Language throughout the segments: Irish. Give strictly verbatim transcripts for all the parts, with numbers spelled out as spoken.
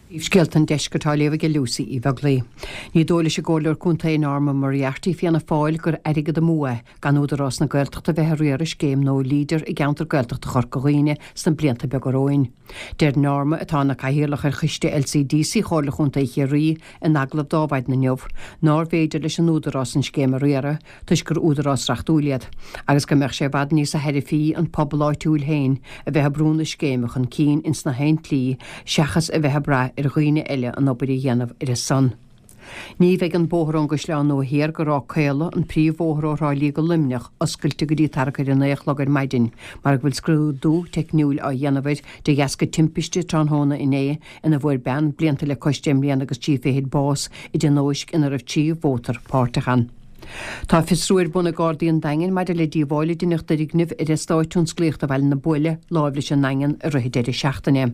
Scéalta an Deiscirt á léamh ag Lucy Uí Bheaglaoi. Ní dóigh leis an gComhairleoir Contae Norma Moriarty Fianna Fáil gur airgead amú é gan Údarás na Gaeltachta bheith ag riaradh scéim nua Leader i gceantar Gaeltachta Chorca Dhuibhne sna blianta beaga romhainn. Deir Norma atá ina cathaoirleach ar choiste LCDC Chomhairle Chontae Chiarraí in agallamh d'Adhmhaidin inniu, nárbh fhéidir leis an Údarás an scéim a riaradh toisc gur údarás reachtúil iad, agus go mbeadh sé i bhfad níos tairbhí an pobal áitiúil féin a bheith ag brú na scéime chun cinn ins na haon tslí seachas a bheith ag brath ar dhaoine eile an obair a dhéanamh ar a son. Ní bheidh an bóthar ón gCaisleán Nua Thiar go Ráth Caola, an príomhbhóthar ó Thrá Lí go Luimneach, oscailte go dtí tarrac ar a naoi a chlog ar maidin, mar go bhfuil scrúdú teicniúil á dhéanamh air de dheasca timpiste tráthnóna inné ina bhfuair bean blianta le cois deich mbliana agus trí fichid bás i dtionóisc ina raibh trí mhótar páirteach ann. Tá fiosrú ar bun ag Gardaí an Daingin maidir le díobháil a deineadh d'fhoirgneamh ar eastát tionsclaíochta Bhaile na Buaile láimh leis an nDaingean i rith an deireadh seachtaine.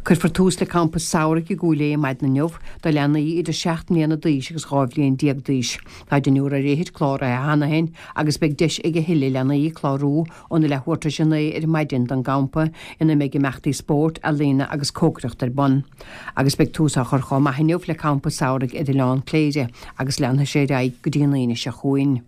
Cuirfear tús le campa samhraidh i gCúil Aodha maidin inniu do leanaí idir seacht mbliana d'aois agus dhá bhliain déag d'aois. Tá deichniúr ar fhichid cláraithe cheana féin agus beidh deis ag a thuilleadh leanaí clárú óna leathuair tar éis a naoi ar maidin don gcampa ina mbeidh imeachtaí spóirt, ealaíona agus cócaireacht ar bun. Agus beidh tús á chur chomh maith inniu le campa samhraidh ar Oileán Cléire agus leanfaidh sé ar aghaidh go dtí an Aoine seo chugainn.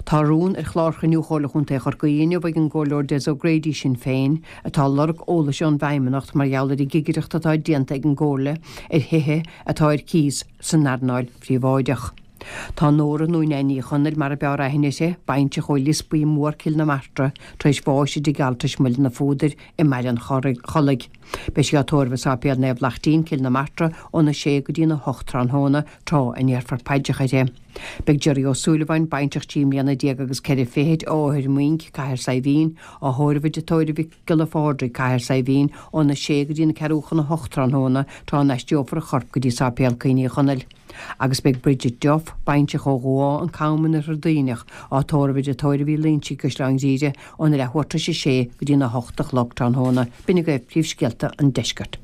Tá rún ar chlár chruinniú Chomhairle Chontae Chorcaí inniu ag an gComhairleoir Des O'Grady Sinn Féin, atá ag lorg eolais ón bhFeidhmeannacht mar gheall ar an gcigireacht atá déanta ag an gComhairle ar thithe atá ar cíos san earnáil phríobháideach. Tá Nóra nó Neain Ní Chonaill mar a b'fhearr aithne uirthi, baintreach ó Lios Buí Mór, Cill na Martra, tar éis bháis i dtigh altrais Mhuileann an Phúdair i mBaile an Chollaigh. Beidh sí á tórramh i Sáipéal Naomh Laichtín, Cill na Martra, óna sé go dtína hocht tráthnóna, tráth a ndéarfar paidreacha uirthi. Beidh Gerry Ó Súilleabháin, baintreach trí mbliana déag agus ceithre fichid ó Othar Muinc, Cathair Saidhbhín, á thórramh i dTigh Tórraimh Mhic Giolla Phádraig, Cathair Saidhbhín, óna sé go dtína ceathrú chun a hocht tráthnóna, tráth a n-aistreofar a chorp go dtí Sáipéal Coin Uí Chonaill. Agus beidh Bridget Duff, baintreach ó Dhumha, an Cam in Oirthear Duibhneach, á tórramh i dTigh Tórraimh Uí Loinsigh, Caisleán Ghriaire, óna leathuair tar éis a sé go dtína hocht a chlog tráthnóna. B'in agaibh príomhscéalta an deiscirt.